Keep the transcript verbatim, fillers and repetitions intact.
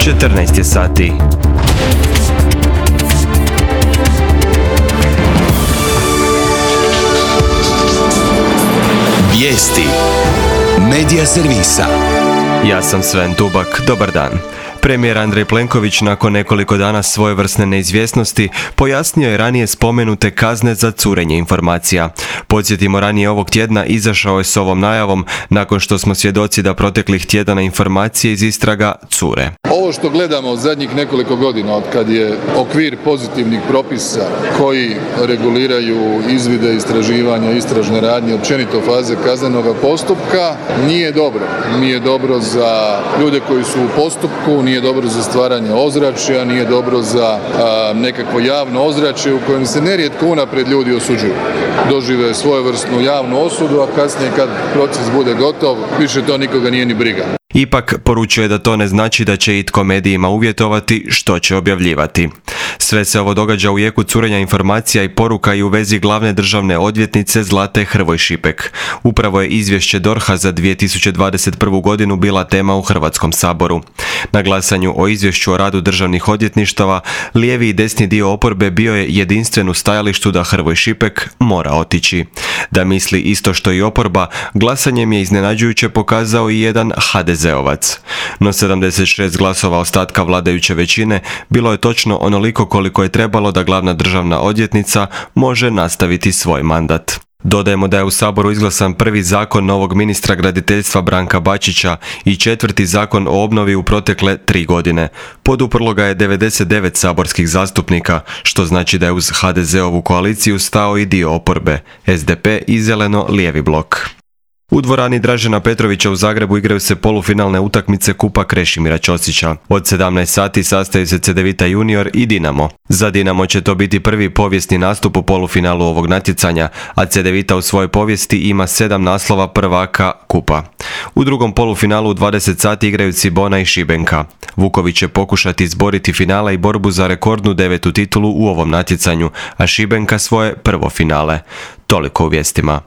četrnaest je sati. Vijesti Medija servisa. Ja sam Sven Tubak, dobar dan. Premijer Andrej Plenković nakon nekoliko dana svojevrsne neizvjesnosti pojasnio je ranije spomenute kazne za curenje informacija. Podsjetimo, ranije ovog tjedna izašao je s ovom najavom nakon što smo svjedoci da proteklih tjedana informacije iz istraga cure. Ovo što gledamo od zadnjih nekoliko godina, od kad je okvir pozitivnih propisa koji reguliraju izvide, istraživanja, istražne radnje, općenito faze kaznenoga postupka, nije dobro. Nije dobro za ljude koji su u postupku, nije dobro za stvaranje ozračja, nije dobro za a, nekakvo javno ozračje u kojem se nerijetko unaprijed ljudi osuđuju. Dožive svojevrsnu javnu osudu, a kasnije kad proces bude gotov, više to nikoga nije ni briga. Ipak poručuje da to ne znači da će itko medijima uvjetovati što će objavljivati. Sve se ovo događa u jeku curenja informacija i poruka i u vezi glavne državne odvjetnice Zlate Hrvoj Šipek. Upravo je izvješće D O R H-a za dvije tisuće dvadeset prvu. godinu bila tema u Hrvatskom saboru. Na glasanju o izvješću o radu državnih odvjetništava, lijevi i desni dio oporbe bio je jedinstven u stajalištu da Hrvoj Šipek mora otići. Da misli isto što i oporba, glasanjem je iznenađujuće pokazao i jedan ha de zeovac. No sedamdeset šest glasova ostatka vladajuće većine bilo je točno onoliko koliko je trebalo da glavna državna odvjetnica može nastaviti svoj mandat. Dodajemo da je u Saboru izglasan prvi zakon novog ministra graditeljstva Branka Bačića i četvrti zakon o obnovi u protekle tri godine. Poduprlo ga je devedeset devet saborskih zastupnika, što znači da je uz ha de zeovu koaliciju stao i dio oporbe, es de pe i zeleno-lijevi blok. U dvorani Dražena Petrovića u Zagrebu igraju se polufinalne utakmice Kupa Krešimira Ćosića. Od sedamnaest sati sastaju se Cedevita Junior i Dinamo. Za Dinamo će to biti prvi povijesni nastup u polufinalu ovog natjecanja, a Cedevita u svojoj povijesti ima sedam naslova prvaka Kupa. U drugom polufinalu u dvadeset sati igraju Cibona i Šibenka. Vuković će pokušati izboriti finale i borbu za rekordnu devetu titulu u ovom natjecanju, a Šibenka svoje prvo finale. Toliko u vijestima.